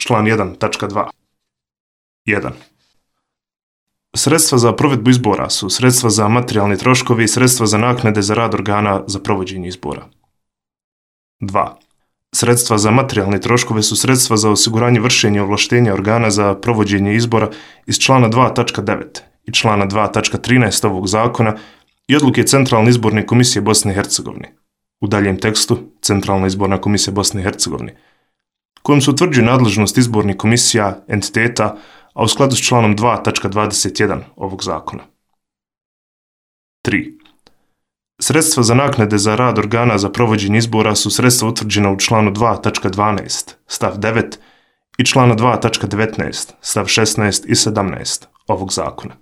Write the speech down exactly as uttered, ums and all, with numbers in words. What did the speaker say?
član jedan tačka dva. jedan. Sredstva za provedbu izbora su sredstva za materijalni troškovi i sredstva za naknade za rad organa za provođenje izbora. dva. Sredstva za materijalne troškove su sredstva za osiguranje vršenja ovlaštenja organa za provođenje izbora iz člana dva tačka devet i člana dva tačka trinaest ovog zakona i odluke Centralne izborne komisije Bosne i Hercegovine, u daljem tekstu Centralna izborna komisija Bosne i Hercegovine, kojom se utvrđuje nadležnost izbornih komisija, entiteta, a u skladu s članom dva tačka dvadeset jedan ovog zakona. tri. Sredstva za naknade za rad organa za provođenje izbora su sredstva utvrđena u članu dva tačka dvanaest stav devet i člana dva tačka devetnaest stav šesnaest i sedamnaest ovog zakona.